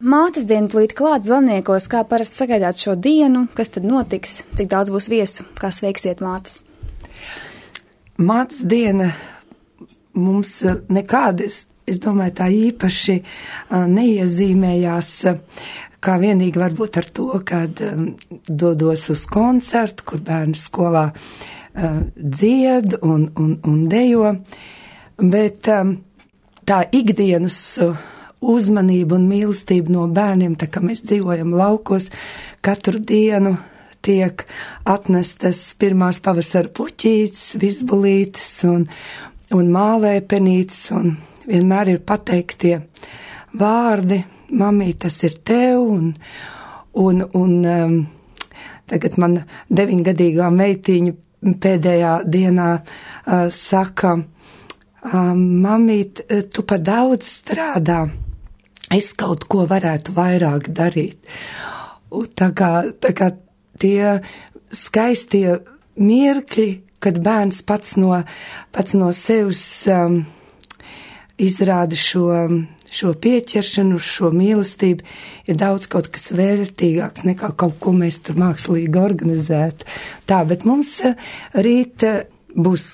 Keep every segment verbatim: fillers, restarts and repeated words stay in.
Mātes diena tūlīt klāt Zvaniekos, kā parasti sagaidāt šo dienu, kas tad notiks, cik daudz būs viesu, kā sveiksiet mātes? Mātes diena mums nekādas, es domāju, tā īpaši neiezīmējās, kā vienīgi varbūt ar to, kad dodos uz koncertu, kur bērni skolā dzied un, un, un dejo, bet tā ikdienas uzmanība un mīlestība no bērniem, tā kā mēs dzīvojam laukos, katru dienu tiek atnestas pirmās pavasara puķītes, vizbulītes un, un mālēpenītes, un vienmēr ir pateiktie vārdi, mamī, tas ir tev, un, un, un um, tagad man deviņgadīgā meitiņa pēdējā dienā uh, saka, uh, mamīt, tu pa daudz strādā, es kaut ko varētu vairāk darīt. Un tā kā, tā kā tie skaistie mirkļi, kad bērns pats no, pats no sevis um, izrāda šo, šo pieķeršanu, šo mīlestību, ir daudz kaut kas vērtīgāks nekā kaut ko mēs tur mākslīgi organizēt. Tā, bet mums rīt būs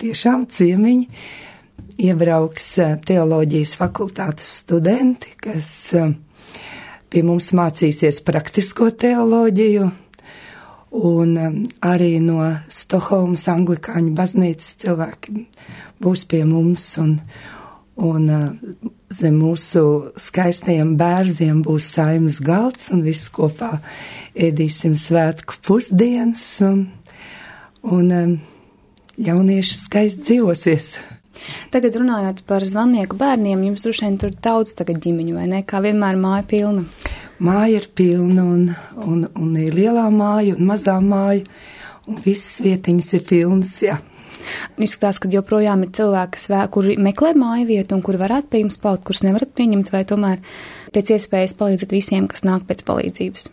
tiešām ciemiņi, iebrauks teoloģijas fakultātes studenti, kas pie mums mācīsies praktisko teoloģiju, un arī no Stokholmas anglikāņu baznīcas cilvēki būs pie mums, un, un zem mūsu skaistajiem bērziem būs saimas galds, un viss kopā ēdīsim svētku pusdienas, un, un jaunieši skaisti dzīvosies. Tagad runājot par Zvanieku bērniem, jums droši vien tur daudz tagad ģimeņu, vai ne? Kā vienmēr māja pilna? Māja ir pilna, un, un, un ir lielā māja un mazā māja, un visas vietiņas ir pilnas, jā. Izskatās, ka joprojām ir cilvēki, kuri meklē māju vietu un kuri varētu pie jums palikt, kurus nevarat pieņemt, vai tomēr pēc iespējas palīdzat visiem, kas nāk pēc palīdzības?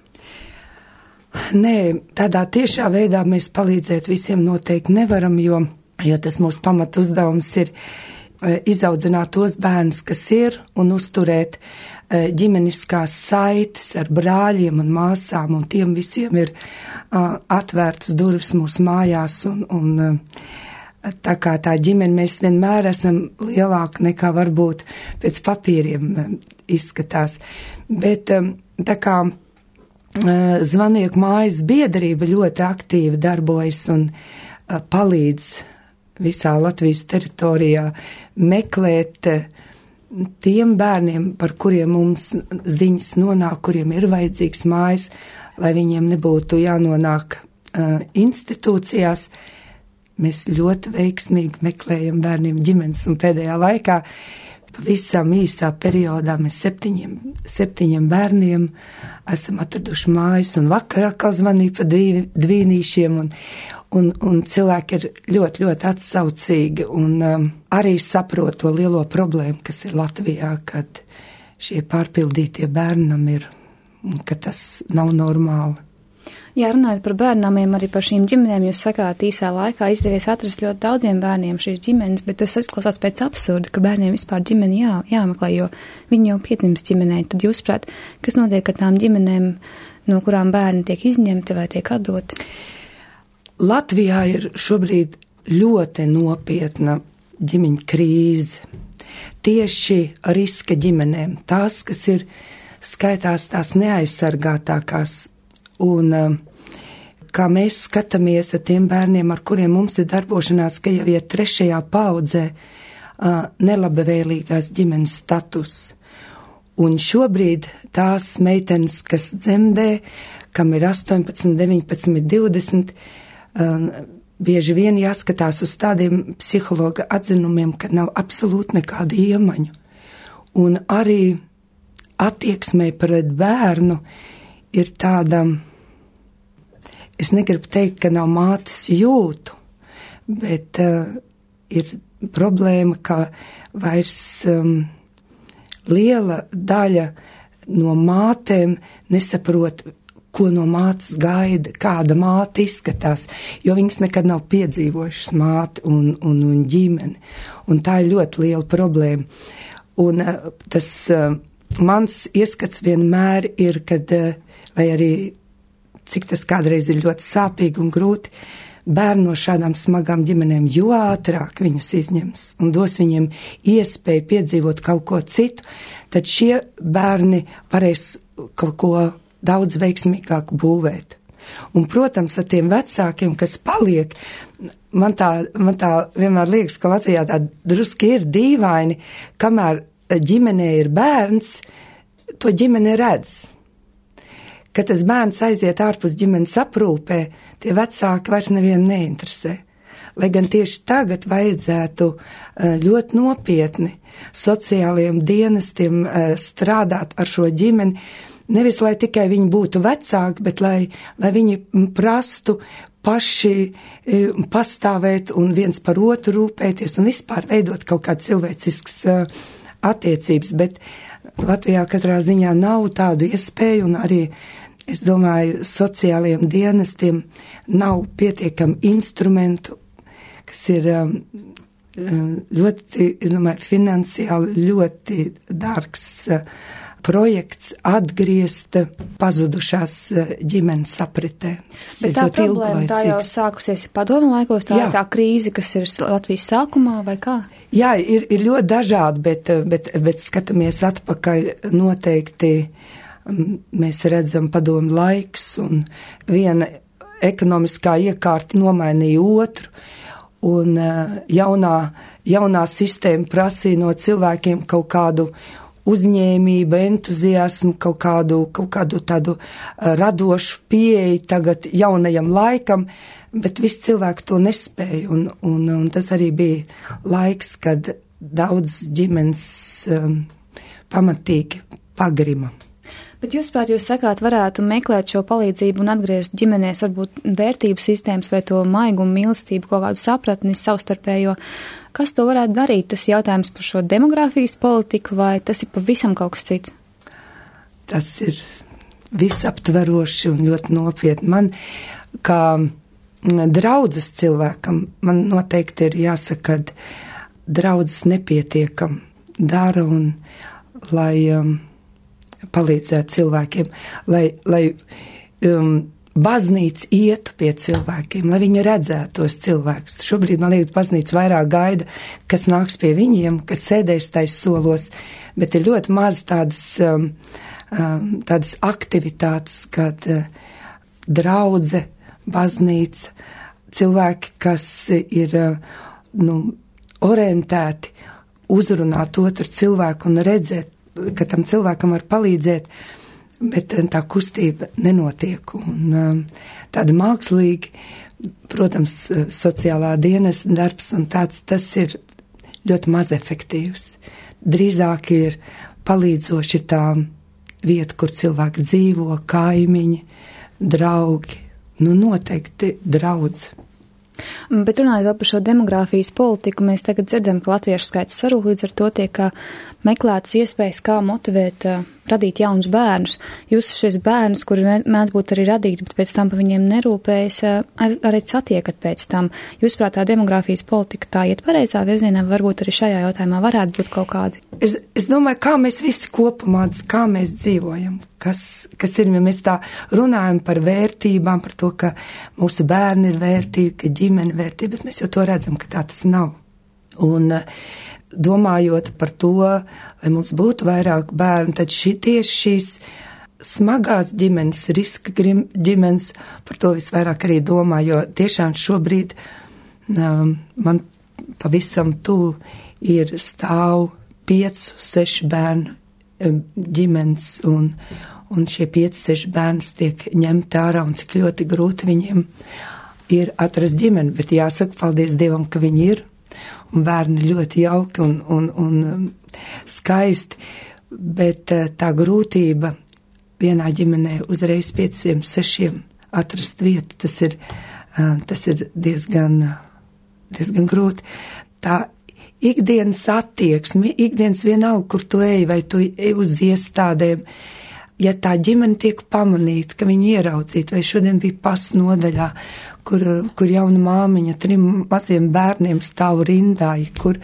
Nē, tādā tiešā veidā mēs palīdzēt visiem noteikti nevaram, jo jo tas mūsu pamat uzdevums ir izaudzināt tos bērnus, kas ir, un uzturēt ģimeniskās saites ar brāļiem un māsām, un tiem visiem ir atvērtas durvis mūsu mājās, un, un tā kā tā ģimene mēs vienmēr esam lielāka nekā varbūt pēc papīriem izskatās. Bet tā kā Zvanieku mājas biedrība ļoti aktīvi darbojas un palīdz visā Latvijas teritorijā meklēt tiem bērniem, par kuriem mums ziņas nonāk, kuriem ir vajadzīgs mājas, lai viņiem nebūtu jānonāk uh, institūcijās. Mēs ļoti veiksmīgi meklējam bērniem ģimenes, un pēdējā laikā pavisam īsā periodā mēs septiņiem, septiņiem bērniem esam atraduši mājas, un vakarā atkal zvanīja pa dvī, dvīnīšiem, un, un, un cilvēki ir ļoti, ļoti atsaucīgi, un um, arī saprot to lielo problēmu, kas ir Latvijā, kad šie pārpildītie bērnam ir, ka tas nav normāli. Jā, runājot par bērnamiem, arī par šīm ģimenēm, jūs sakāt, īsā laikā izdevies atrast ļoti daudziem bērniem šīs ģimenes, bet tas izklausās pēc absurda, ka bērniem vispār ģimeni jā, jāmeklē, jo viņi jau piedzimst ģimenē. Tad jūs prāt, kas notiek ar tām ģimenēm, no kurām bērni tiek izņemti vai tiek atdoti? Latvijā ir šobrīd ļoti nopietna ģimeņa krīze. Tieši riska ģimenēm, tās, kas ir skaitās tās neaizsargātākās. Un kā mēs skatāmies ar tiem bērniem, ar kuriem mums ir darbošanās, ka jau ir trešajā paudzē nelabvēlīgās ģimenes status. Un šobrīd tās meitenes, kas dzemdē, kam ir astoņpadsmit, deviņpadsmit, divdesmit, bieži vien jāskatās uz tādiem psihologa atzinumiem, ka nav absolūti nekāda iemaņu. Un arī attieksmē pret bērnu ir tāda, es negribu teikt, ka nav mātes jūtu, bet uh, ir problēma, ka vairs um, liela daļa no mātēm nesaprot, ko no mātes gaida, kāda māte izskatās, jo viņas nekad nav piedzīvojušas māti un, un, un ģimeni. Un tā ir ļoti liela problēma. Un uh, tas uh, mans ieskats vienmēr ir, kad, vai arī cik tas kādreiz ir ļoti sāpīgi un grūti, bērni no šādām smagām ģimenēm, jo ātrāk viņus izņems un dos viņiem iespēju piedzīvot kaut ko citu, tad šie bērni varēs kaut ko daudz veiksmīgāk būvēt. Un, protams, ar tiem vecākiem, kas paliek, man tā, man tā vienmēr liekas, ka Latvijā tā druski ir dīvaini, kamēr ģimenē ir bērns, to ģimene redz. Kad tas bērns aiziet ārpus ģimenes aprūpē, tie vecāki vairs nevienu neinteresē. Lai gan tieši tagad vajadzētu ļoti nopietni sociālajiem dienestiem strādāt ar šo ģimeni, nevis lai tikai viņi būtu vecāki, bet lai, lai viņi prastu paši pastāvēt un viens par otru rūpēties un vispār veidot kaut kādu cilvēciskas attiecības, bet Latvijā katrā ziņā nav tādu iespēju un arī, es domāju, sociālajiem dienestiem nav pietiekami instrumentu, kas ir ļoti, es domāju, finansiāli ļoti dārgs projekts atgriezt pazudušās ģimenes apritē. Bet tā problēma tā jau sākusies padomu laikos, tā, tā krīze, kas ir Latvijas sākumā vai kā? Jā, ir, ir ļoti dažādi, bet, bet, bet skatāmies atpakaļ noteikti, mēs redzam padomu laiks un viena ekonomiskā iekārta nomainīja otru un jaunā, jaunā sistēma prasīja no cilvēkiem kaut kādu uzņēmību, entuziasmu, kaut kādu, kaut kādu tādu radošu pieeju tagad jaunajam laikam, bet visi cilvēki to nespēja, un, un, un tas arī bija laiks, kad daudz ģimenes um, pamatīgi pagrima. Bet jūs, prāt, jūs sakāt, varētu meklēt šo palīdzību un atgriezt ģimenēs varbūt vērtību sistēmas vai to maigumu, mīlestību, kaut kādu sapratni savstarpējo. Kas to varētu darīt? Tas jautājums par šo demogrāfijas politiku vai tas ir pavisam kaut kas cits? Tas ir visaptveroši un ļoti nopietni. Man, kā draudzes cilvēkam, man noteikti ir jāsaka, ka draudzes nepietiekam dara un lai um, palīdzētu cilvēkiem, lai, lai um, baznīca ietu pie cilvēkiem, lai viņi redzētu tos cilvēkus. Šobrīd, man liekas, baznīca vairāk gaida, kas nāks pie viņiem, kas sēdēs tais solos, bet ir ļoti maz tādas, um, um, tādas aktivitātes, kad uh, draudze, baznīca, cilvēki, kas ir uh, nu, orientēti uzrunāt otru cilvēku un redzēt, ka tam cilvēkam var palīdzēt, bet tā kustība nenotiek. Un tāda mākslīgi, protams, sociālā dienas darbs un tāds, tas ir ļoti maz efektīvs. Drīzāk ir palīdzoši tā vieta, kur cilvēki dzīvo, kaimiņi, draugi, nu noteikti draudz. Bet runājot vēl par šo demogrāfijas politiku, mēs tagad dzirdam, ka latviešu skaits sarūk, līdz ar to tiek meklētas iespējas, kā motivēt, uh, radīt jaunus bērnus. Jūs šis bērnus, kuri mēdz būt arī radīti, bet pēc tam pa viņiem nerūpējas, uh, ar, arī satiekat pēc tam. Jūs prāt, tā demogrāfijas politika tā iet pareizā virzienā, varbūt arī šajā jautājumā varētu būt kaut kādi? Es, es domāju, kā mēs visi kopumā, kā mēs dzīvojam, kas, kas ir, ja mēs tā runājam par vērtībām, par to, ka mūsu bērni ir vērtīgi, ka ģimene ir vērtība, bet mēs jau to redzam, ka tā tas nav. Un domājot par to, lai mums būtu vairāk bērnu, tad šī, tieši šīs smagās ģimenes, riska ģimenes, par to visvairāk arī domā, jo tiešām šobrīd um, man pavisam tuvu ir stāv piecu, sešu bērnu um, ģimenes, un, un šie pieci, seši bērnus tiek ņemti ārā, un cik ļoti grūti viņiem ir atrast ģimeni, bet jāsaka, paldies Dievam, ka viņi ir. Un bērni ļoti jauki un, un, un skaisti, bet tā grūtība vienā ģimenē uzreiz pieciem, sešiem atrast vietu, tas ir, tas ir diezgan, diezgan grūti. Tā ikdienas attieksme, ikdienas vienalga, kur tu ej, vai tu ej uz iestādēm, ja tā ģimene tiek pamanīta, ka viņi ieraudzīta, vai šodien bija pas nodaļā, kur, kur jauna māmiņa trim maziem bērniem stāv rindā, kur,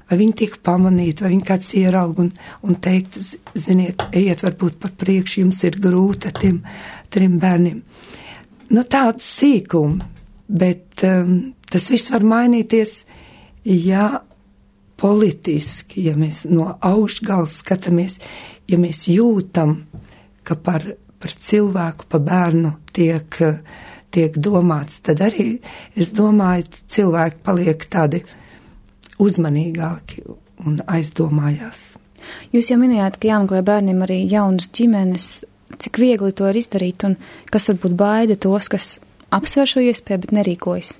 vai viņi tiek pamanīti, vai viņi kāds ieraug un, un teikt, ziniet, ejiet varbūt par priekšu, jums ir grūti ar tiem trim bērniem. Nu, tāds sīkumi, bet um, tas viss var mainīties, ja politiski, ja mēs no augšgals skatāmies, ja mēs jūtam, ka par, par cilvēku, pa bērnu tiek, tiek domāts, tad arī, es domāju, cilvēki paliek tādi uzmanīgāki un aizdomājās. Jūs jau minējāt, ka jāmeklē bērniem arī jaunas ģimenes, cik viegli to ir izdarīt un kas varbūt baida tos, kas apsver šo iespēju, bet nerīkojas?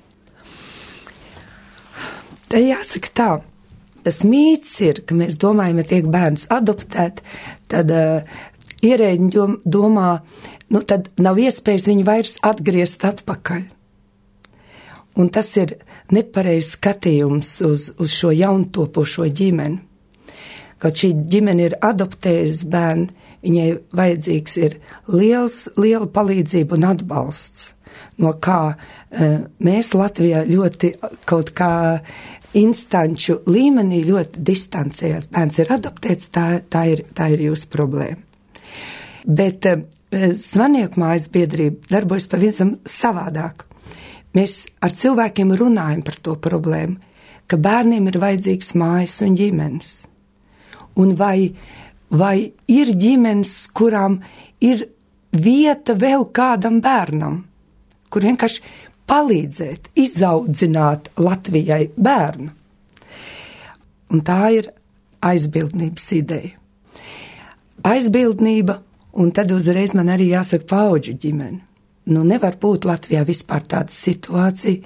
Te jāsaka tā, tas mīts ir, ka mēs domājam, ja tiek bērns adoptēt, tad uh, ierēģi domā, nu tad nav iespējas viņu vairs atgriezt atpakaļ. Un tas ir nepareizs skatījums uz, uz šo jauntopošo ģimeni. Kad šī ģimene ir adoptējusi bērnu, viņai vajadzīgs ir liels, liela palīdzība un atbalsts, no kā uh, mēs Latvijā ļoti kaut kā instanču līmenī ļoti distancējās. Bērns ir adoptēts, tā, tā, ir, tā ir jūsu problēma. Bet uh, Zvanieku mājas biedrība darbojas pavisam savādāk. Mēs ar cilvēkiem runājam par to problēmu, ka bērniem ir vajadzīgs mājas un ģimenes. Un vai, vai ir ģimenes, kurām ir vieta vēl kādam bērnam, kur vienkārši palīdzēt, izaudzināt Latvijai bērnu. Un tā ir aizbildnības ideja. Aizbildnība, un tad uzreiz man arī jāsaka paudžu ģimene. Nu, nevar būt Latvijā vispār tāda situācija,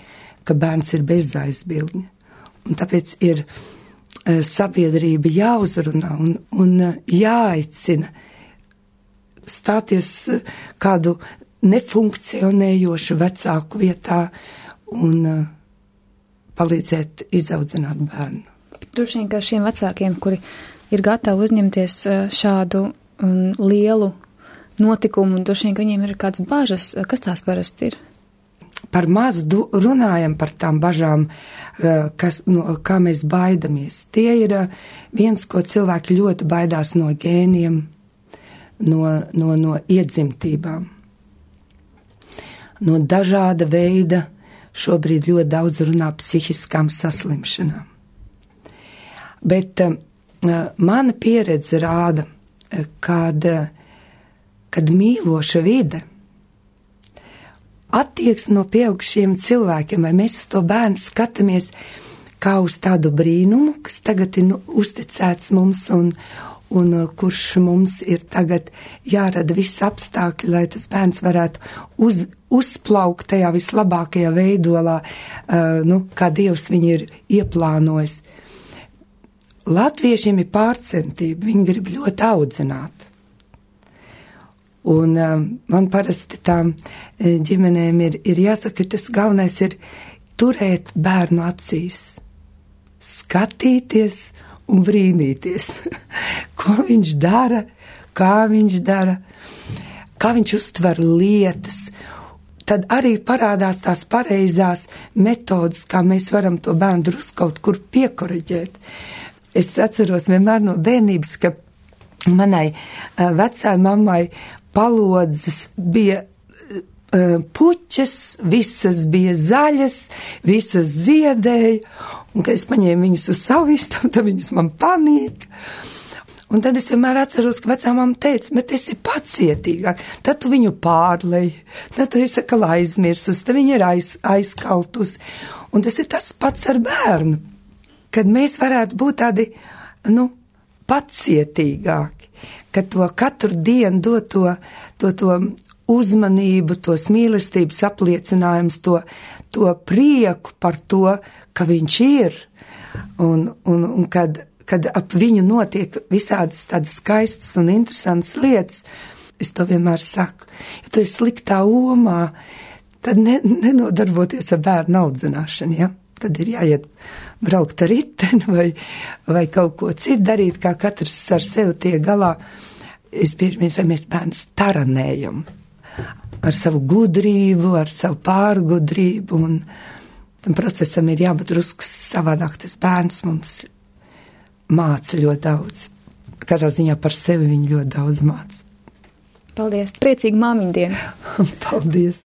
ka bērns ir bez aizbildņa. Un tāpēc ir uh, sabiedrība jāuzrunā un, un uh, jāaicina stāties uh, kādu nefunkcionējošu vecāku vietā un uh, palīdzēt izaudzināt bērnu. Droši vien, ka šiem vecākiem, kuri ir gatavi uzņemties uh, šādu um, lielu notikumu, un droši vien, ka viņiem ir kāds bažas, kas tās parasti ir? Par maz du, runājam par tām bažām, kas, no, kā mēs baidamies. Tie ir viens, ko cilvēki ļoti baidās no gēniem, no, no, no iedzimtībām. No dažāda veida, šobrīd ļoti daudz runā psihiskām saslimšanām. Bet uh, mana pieredze rāda, kad kad mīloša vide, attieksme no pieaugušiem cilvēkiem, vai mēs uz to bērnu skatāmies kā uz tādu brīnumu, kas tagad ir nu, uzticēts mums un, un kurš mums ir tagad jārada visi apstākļi, lai tas bērns varētu uz, uzplaukt tajā vislabākajā veidolā, uh, nu, kā Dievs viņu ir ieplānojis. Latviešiem ir pārcentība, viņi grib ļoti audzināt. Un um, man parasti tām ģimenēm ir, ir jāsaka, ka tas galvenais ir turēt bērnu acīs, skatīties un brīnīties, ko viņš dara, kā viņš dara, kā viņš uztver lietas. Tad arī parādās tās pareizās metodas, kā mēs varam to bērnu drusku kaut kur piekoriģēt. Es atceros vienmēr no bērnības, ka manai uh, vecai mammai palodzes bija uh, puķes, visas bija zaļas, visas ziedēja, un kad es paņēmu viņas uz savu istabu, tad viņas man panika. Un tad es vienmēr atceros, ka vecā mamma teica, bet esi pacietīgāk, tad tu viņu pārlej, tad tu esi atkal aizmirsus, tad viņa ir aiz, aizkaltus. Un tas ir tas pats ar bērnu, kad mēs varētu būt tādi, nu, pacietīgāki, ka to katru dienu dot to, to, to uzmanību, tos mīlestības apliecinājums, to, to prieku par to, ka viņš ir, un, un, un kad, kad ap viņu notiek visādas tādas skaistas un interesantas lietas, es to vienmēr saku, ja tu esi sliktā omā, tad ne, nenodarboties ar bērnu audzināšanu, ja? Tad ir jāiet braukt ar riteni vai, vai kaut ko citu darīt, kā katrs ar sevi tiek galā. es bieži vien mēs bērnus taranējam ar savu gudrību, ar savu pārgudrību, un tam procesam ir jābūt drusku savādāk. Tas bērns mums māca ļoti daudz. Katrā ziņā par sevi viņi ļoti daudz māca. Paldies! Priecīgu māmiņu dienu! Paldies!